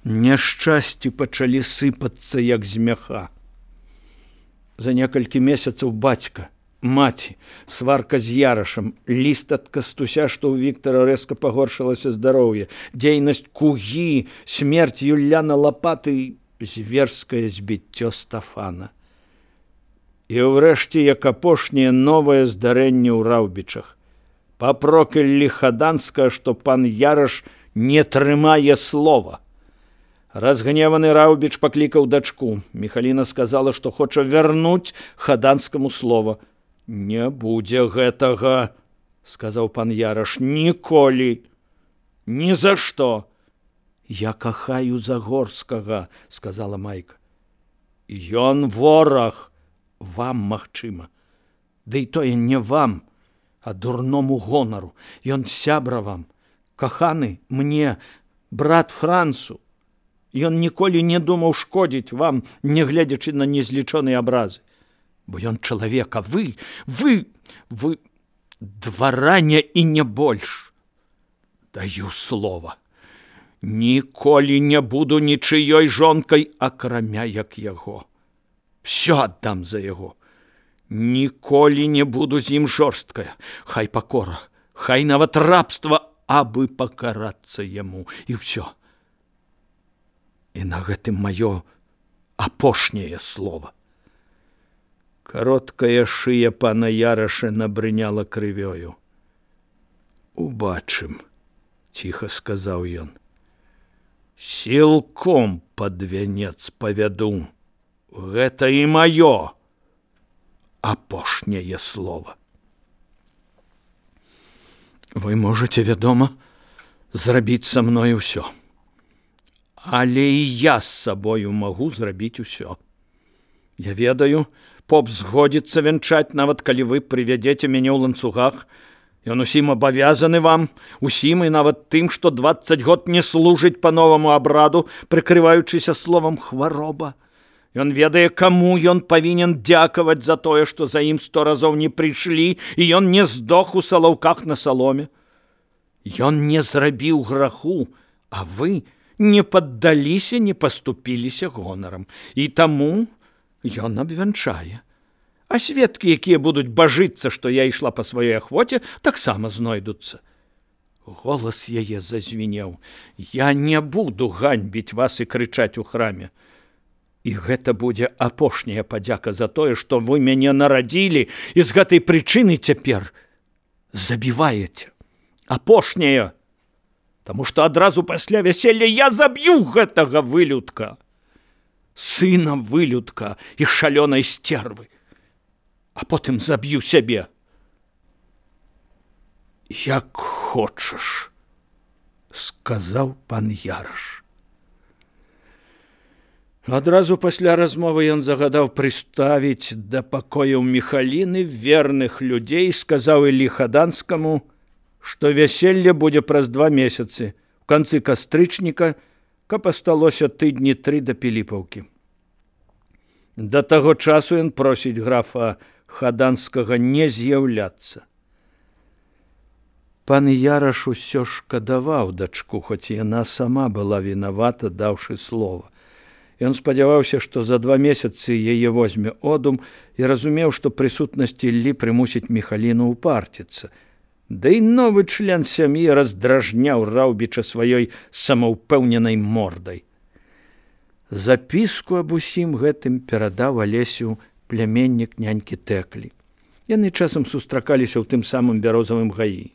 Няшчасці пачалі сыпацца, як з мяха. За некалькі месяцаў бацька, маці, сварка з Ярашам, ліст ад Кастуся, што ў Віктара рэзка пагоршылася здароўе, дзейнасць Кугі, смерць Юляна Лапаты, зверскае збіццё Стафана. І ўрэшце, як апошняе, новае здарэнне ў Раўбічах. Папроклялі Хаданскага, што пан Яраш не трымае слова. Разгневаны Раўбіч паклікаў дачку. Міхаліна сказала, што хоча вярнуць Хаданскаму слова. «Не будзе гэтага», – сказаў пан Яраш, – «ніколі, ні за што». «Я кахаю Загорскага», – сказала Майка. «Ён вораг, вам, магчыма. Ды і тое не вам, а дурному гонару. Ён сябра вам, каханы мне, брат Францу. Ён ніколі не думаў шкодзіць вам, нягледзячы на незлічоныя абразы. Бо ён чалавек, а вы двараня і не больш. Даю слова. Ніколі не буду нічыёй жонкай, акрамя як яго. Всё аддам за яго. Ніколі не буду з ім жорсткая. Хай пакора, хай нават рабства, абы пакарацца яму. І ўсё. І на гэтым маё апошняе слова. Кароткая шыя пана Яраша набрыняла крывёю. «Убачым», – ціха сказаў ён. «Сілком пад вянец павяду. Гэта і маё апошняе слова». «Вы можаце, вядома, зрабіць са мной усё. Але і я з сабою магу зрабіць усё. Я ведаю, поп згодзіцца вянчаць, нават калі вы прывядзеце мяне ў ланцугах. Ён усім абавязаны вам, усім і нават тым, што 20 год не служыць па новаму абраду, прыкрываючыся словам хвароба. Ён ведае, каму ён павінен дзякаваць за тое, што за ім 100 разоў не прыйшлі, і ён не здох у салаўках на саломе. Ён не зрабіў граху, а вы не паддаліся, не паступіліся гонарам. І таму ён абвянчае. А сведкі, якія будуць бажыцца, што я ішла па сваёй ахвоце, таксама знойдуцца. Голас яе зазвінеў. Я не буду ганьбіць вас і крычаць у храме. І гэта будзе апошняя падзяка за тое, што вы мяне нарадзілі і з гэтай прычыны цяпер забіваеце. Апошняя. Таму што адразу пасля вяселля я заб'ю гэтага вылюдка. Сына вылюдка і шалёнай сцервы. А потым заб'ю сябе. Як хочаш, сказаў пан Яраш. Адразу пасля размовы ён загадаў прыставіць да пакояў Міхаліны верных людзей, сказаў Іллі Хаданскаму, што вяселле будзе праз 2 месяцы, у канцы кастрычніка, каб асталося тыдні 3 да Піліпаўкі. Да таго часу ён просіць графа Хаданскага не з'яўляцца. Пан Яраш усё шкадаваў дачку, хоць яна сама была вінавата, даўшы слова. Ён спадзяваўся, што за 2 месяцы яе возьме одум і разумеў, што прысутнасць Іллі прымусіць Міхаліну ўпарціцца. Да і новы член сям'і раздражняў Раўбіча сваёй самаўпэўненай мордай. Запіску аб усім гэтым перадаў Алесю пляменнік нянькі Тэклі. Яны часам сустракаліся ў тым самым бярозавым гаі.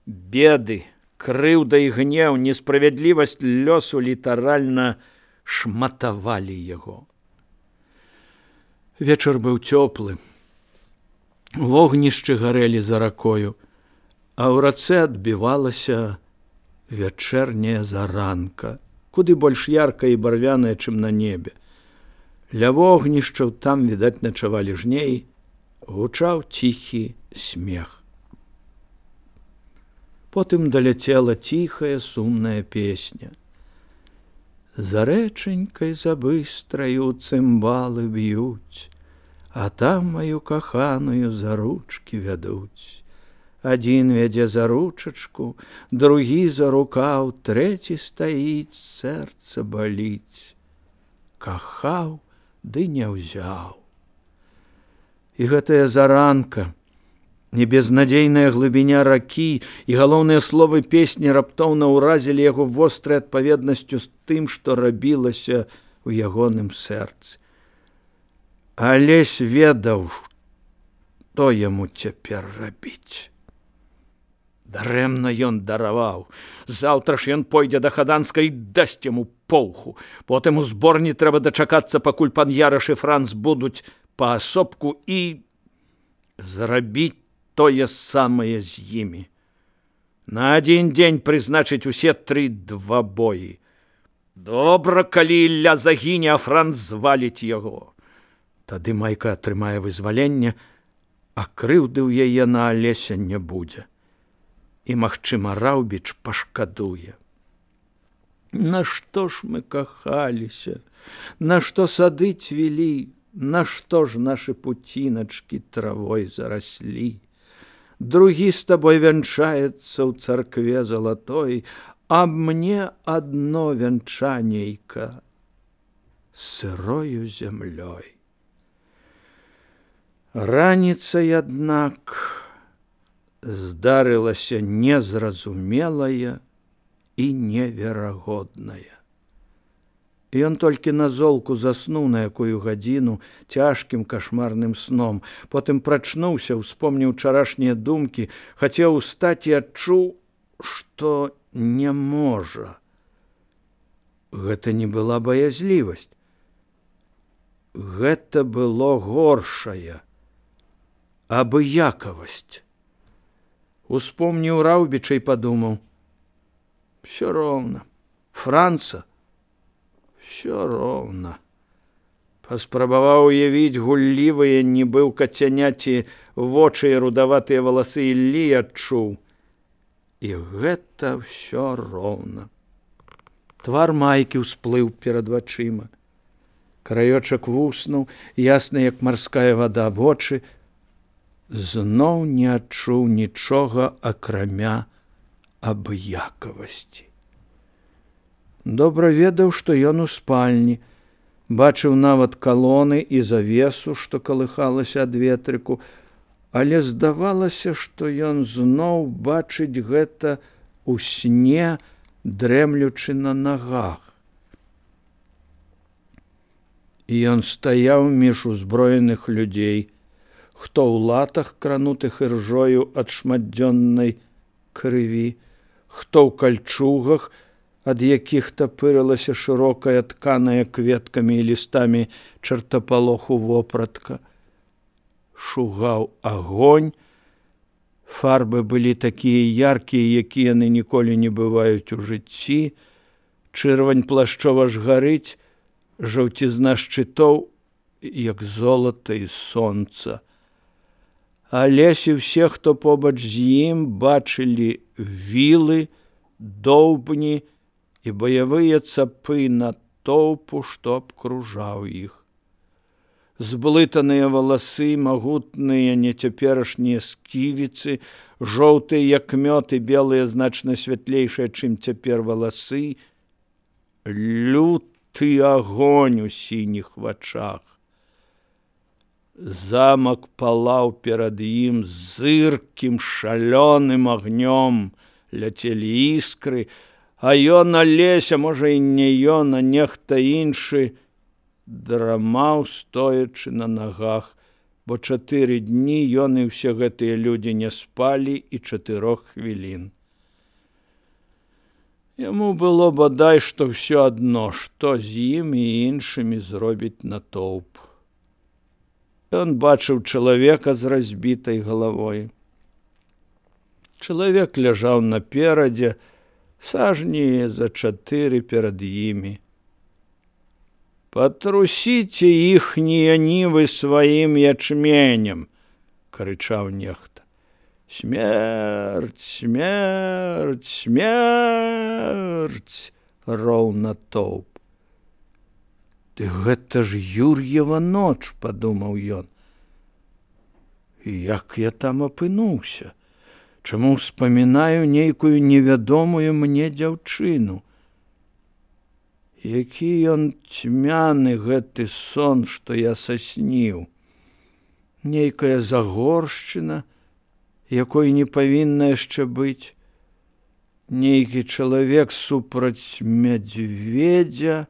Беды, крыўда і гнеў, несправядлівасць лёсу літаральна шматавалі яго. Вечар быў цёплы. Вогнішчы гарэлі за ракою, а ў рацэ адбівалася вячэрняя заранка, куды больш яркая і барвяная, чым на небе. Ля вогнішчаў там, відаць, начавалі жнеі, гучаў ціхі смех. Потым даляцела ціхая сумная песня. За рэчанькай забыстраю цымбалы б'юць, а там маю каханую за ручкі вядуць. Адзін вядзе за ручачку, другі за рукаў, трэці стаіць, сэрца баліць. Кахаў, ды не ўзяў. І гэтая заранка, небезнадзейная глыбіня ракі і галоўныя словы песні раптоўна ўразілі яго вострай адпаведнасцю з тым, што рабілася ў ягоным сэрцы. Алесь ведаў, што яму цяпер рабіць. Дарэмна ён дараваў. Заўтра ж ён пойдзе да Хаданска і дасць яму поўху. Потым у зборні трэба дачакацца, пакуль пан Яраш і Франц будуць паасобку і зрабіць тое самае з імі. На адзін дзень прызначыць усе 3 двабоі. Добра, калі Ілля загіне, а Франц зваліць яго. Тады Майка атрымае вызваленне, а крыўды ў яе на Алеся не будзе. І, магчыма, Раўбіч пашкадуе. Нашто ж мы кахаліся? Нашто сады цвілі? Нашто ж нашы пуціначкі травой зараслі? Другі з табой вянчаецца ў царкве залатой, а мне адно вянчанейка сырою зямлёй. Раніцай, аднак, здарылася незразумелая і неверагодная. Ён толькі на золку заснуў на якую гадзіну цяжкім кашмарным сном, потым прачнуўся, успомніў учарашнія думкі, хацеў устаць і адчуў, што не можа. Гэта не была баязлівасць. Гэта было горшае, абыякавасць. Успомніў Раўбіча і падумаў: «Всё роўна, Франца, всё роўна». Паспрабаваў уявіць гуллівыя, нібы ў кацяняці, вочы і рудаватыя валасы Іллі, адчуў: і гэта всё роўна. Твар Майкі ўсплыў перад вачыма. Краёчак вуснуў, ясны, як марская вада, вочы. Зноў не адчуў нічога, акрамя абыякавасці. Добра ведаў, што ён у спальні, бачыў нават калоны і завесу, што калыхалася ад ветрыку, але здавалася, што ён зноў бачыць гэта у сне, дрэмлючы на нагах. І ён стаяў між узброеных людзей, хто ў латах, кранутых іржою ад шматдзённай крыві, хто ў кальчугах, ад якіх тапырылася шырокая, тканая кветкамі і лістамі чартапалоху вопратка. Шугаў агонь. Фарбы былі такія яркія, якія яны ніколі не бываюць у жыцці. Чырвань плашчова ж гарыць, жаўцізна шчытоў, як золата і сонца. Алесь і ўсе, хто побач з ім, бачылі вілы, доўбні і баявыя цапы натоўпу, што абкружаў іх. Зблытаныя валасы, магутныя нецяперашнія сківіцы, жоўтыя, як мёд, і белыя, значна святлейшыя, чым цяпер валасы, люты агонь у сініх вачах. Замак палаў перад ім зыркім, шалёным агнём, ляцелі іскры, а ён, Алеся, можа і не ён, а нехта іншы, драмаў, стоячы на нагах, бо 4 дні ён і ўсе гэтыя людзі не спалі і 4 хвілін. Яму было бадай, што ўсё адно, што з ім і іншымі зробіць натоўп. Ён бачыў чалавека з разбітай галавой. Чалавек ляжаў наперадзе, сажні за 4 перад імі. «Патрусіце іхнія нівы сваім ячменем!» – крычаў нехта. «Смерць, смерць, смерць!» – роў натоўп. «Ды гэта ж Юр'ева ноч!» – падумаў ён. «Як я там апынуўся? чаму ўспамінаю нейкую невядомую мне дзяўчыну. Які ён цьмяны гэты сон, што я сасніў. Нейкая загоршчына, якой не павінна яшчэ быць. Нейкі чалавек супраць мядзведзя,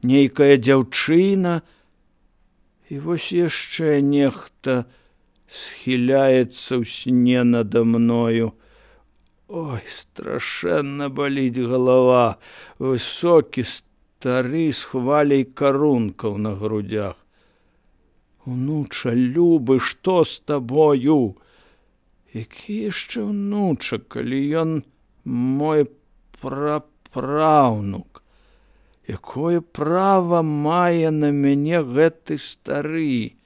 нейкая дзяўчына, і вось яшчэ нехта схіляецца ў сне надо мною. Ой, страшэнна баліць галава, высокі стары з хваляй карункаў на грудях. Унуча, любы, што з табою? Які яшчэ ўнуча, калі ён мой прапраўнук? Якое права мае на мяне гэты стары?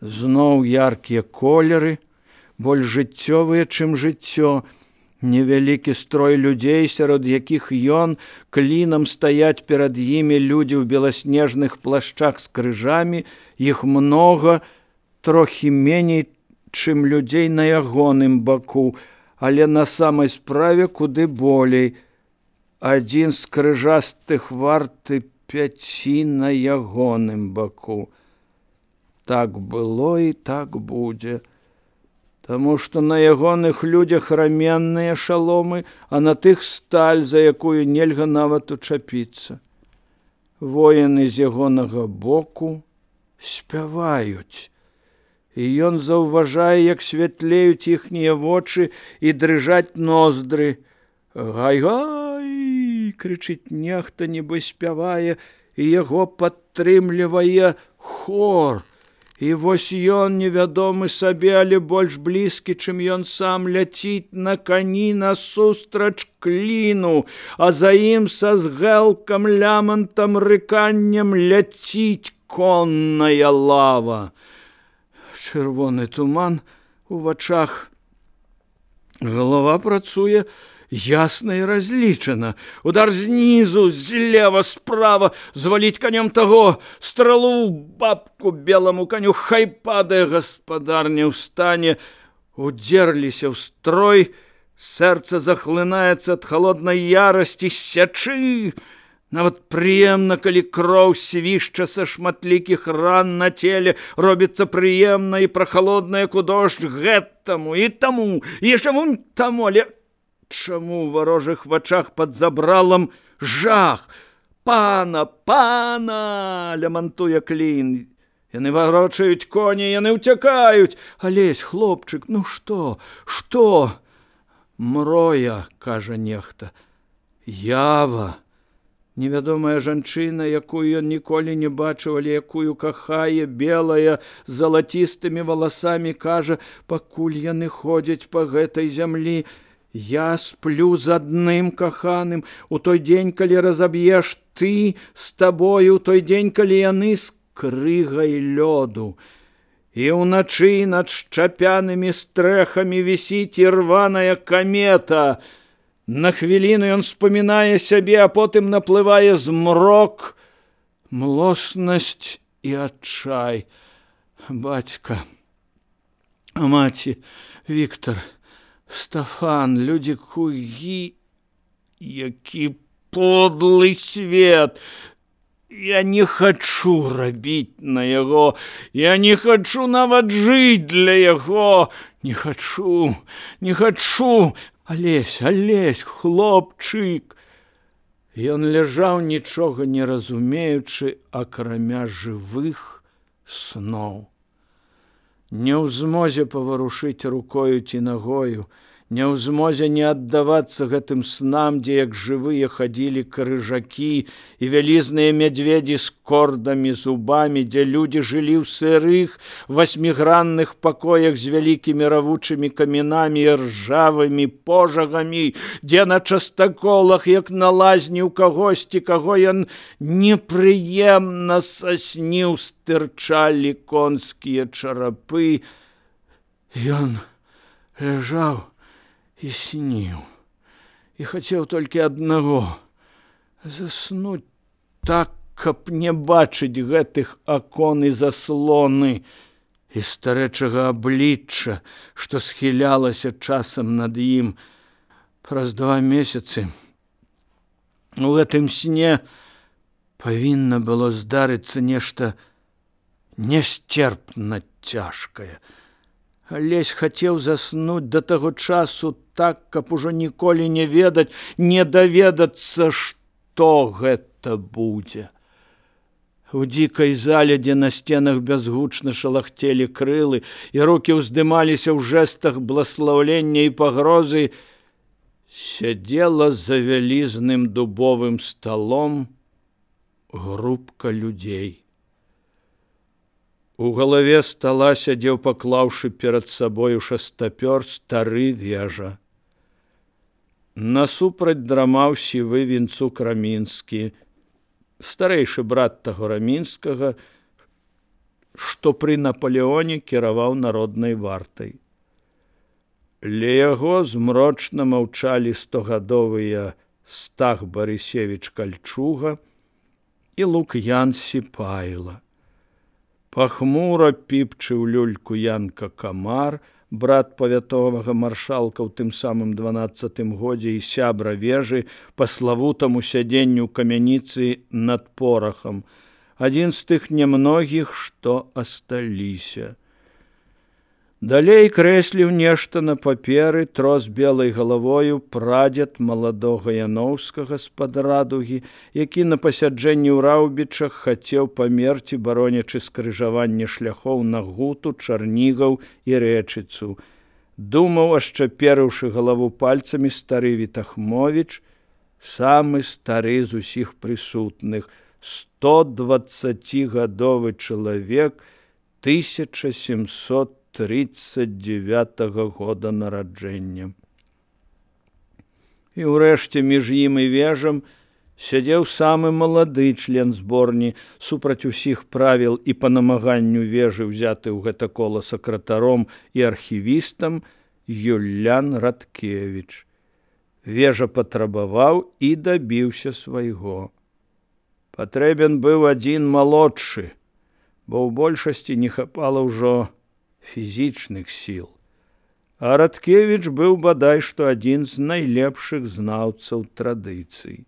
Зноў яркія колеры, больш жыццёвыя, чым жыццё. Невялікі строй людзей, сярод якіх ён, клінам стаяць перад імі людзі ў беласнежных плашчах з крыжамі, іх многа, трохі меней, чым людзей на ягоным баку, але на самай справе куды болей. Адзін з крыжастых варты 5 на ягоным баку. Так было і так будзе. Таму што на ягоных людзях раменныя шаломы, а на тых сталь, за якую нельга нават учапіцца. Воіны з ягонага боку спяваюць. І ён заўважае, як святлеюць іхнія вочы і дрыжаць ноздры. Гай-гай, крычыць нехта, нібы спявае, і яго падтрымлівае хор. І вось ён, невядомы сабе, але больш блізкі, чым ён сам, ляціць на кані насустрач кліну, а за ім са згэлкам, лямантам, рыканнем ляціць конная лава. Чырвоны туман у вачах. Галава працуе ясна і разлічана. Удар знізу, злева, справа, зваліць канём таго, стралу бабку беламу каню, хай падае, гаспадарня ўстане. Удзерліся ў строй, сэрца захлынаецца ад халоднай ярасці, сячы. Нават прыемна, калі кроў свішча са шматлікіх ран на целе, робіцца прыемна і прахалодна, як у дождж, гэтаму і таму, і яшчэ вунь таму, але чаму ў варожых вачах пад забралам жах? Пана, пана, лямантуе клін. Яны варочаюць коні, яны ўцякаюць. Алесь, хлопчык, ну што? Што? Мроя, кажа нехта. Ява. Невядомая жанчына, якую ён ніколі не бачыў, але якую кахае, белая, з залацістымі валасамі, кажа, пакуль яны ходзяць па гэтай зямлі, я сплю з адным каханым, у той дзень, калі разаб'еш ты з табою, у той дзень, калі яны з крыгай лёду. І ўначы над шчапянымі стрэхамі вісіць ірваная камета. На хвіліну ён спамінае сябе, а потым наплывае змрок, млоснасць і адчай. Бацька, маці, Віктар, Стафан, людзі кугі, які подлы свет. Я не хачу рабіць на яго, я не хачу нават жыць для яго, не хачу, не хачу. Алесь, Алесь, хлопчык. Ён ляжаў, нічога не разумеючы, акрамя жывых сноў. Не ў змозе паварушыць рукою ці нагою, не ў змозе не аддавацца гэтым снам, дзе як жывыя хадзілі крыжакі і вялізныя мядзведзі з кордамі, зубамі, дзе людзі жылі ў сырых, 8гранных пакоях з вялікімі равучымі камінамі і ржавымі пожагамі, дзе на частаколах, як на лазні ў кагосьці, каго ён непрыемна сасніў, стырчалі конскія чарапы. Ён ляжаў і сніў, і хацеў толькі аднаго — заснуць так, каб не бачыць гэтых акон і заслоны. і старэчага аблічча, што схілялася часам над ім. Праз 2 месяцы у гэтым сне павінна было здарыцца нешта несцерпна цяжкае. Алесь хацеў заснуць да таго часу так, каб ужо ніколі не ведаць, не даведацца, што гэта будзе. У дзікай зале, дзе на сценах бязгучна шалахцелі крылы і рукі ўздымаліся ў жэстах бласлаўлення і пагрозы, сядзела за вялізным дубовым сталом групка людзей. У галаве стала сядзеў, паклаўшы перад сабою шастапёр, стары Вежа. Насупраць драмаў сівы Вінцук Рамінскі, старэйшы брат таго Рамінскага, што пры Напалеоне кіраваў народнай вартай. Ля яго змрочна маўчалі 100гадовыя Стах Барысевіч Кальчуга і Лук'ян Сіпайла. Пахмура піпчыў люльку Янка Камар, брат павятовага маршалка ў тым самым 12-тым годзе і сябра Вежы па славутаму сядзенню камяніцы над порахам, адзін з тых нямногіх, што асталіся. Далей крэсліў нешта на паперы трос белай галавою прадзед маладога Яноўскага з-пад Радугі, які на пасяджэнні ў Раўбічах хацеў памерці, баронячы скрыжаванне шляхоў на Гуту, Чарнігаў і Рэчыцу. Думаў, ашчаперыўшы галаву пальцамі, стары Вітахмовіч, самы стары з усіх прысутных, 120гадовы чалавек 1739 года нараджэння. І ўрэшце між ім і Вежам сядзеў самы малады член зборні, супраць усіх правіл і па намаганню Вежы ўзяты ў гэта кола сакратаром і архівістам Юлян Радкевіч. Вежа патрабаваў і дабіўся свайго. Патрэбен быў адзін малодшы, бо ў большасці не хапала ўжо фізічных сіл. А Радкевіч быў бадай што адзін з найлепшых знаўцаў традыцый.